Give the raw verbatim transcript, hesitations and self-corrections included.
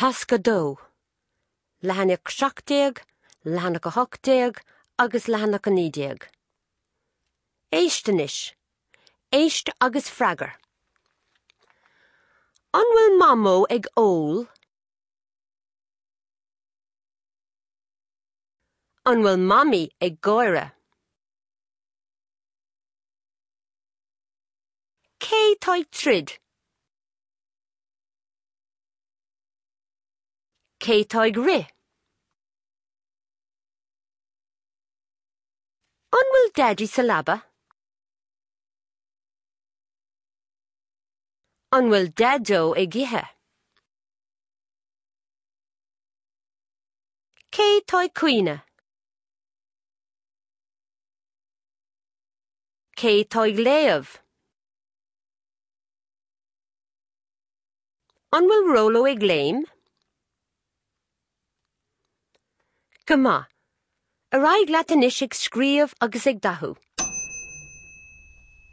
Tasc a dó, leathanach seacht déag, leathanach a hocht déag agus leathanach a naoi déag. Éist anois. Éist agus freagair. An bhfuil Mamó ag ól? An bhfuil Mamaí ag gáire? Cé tá ag troid? Cé tá ag rith? An bhfuil Daidí sa leaba? An bhfuil Daideo ag ithe? Cé tá ag caoineadh? Cé tá ag léamh? An bhfuil Róló ag léim? Go maith. Ar aghaidh leat anois ag scríobh agus ag dathú.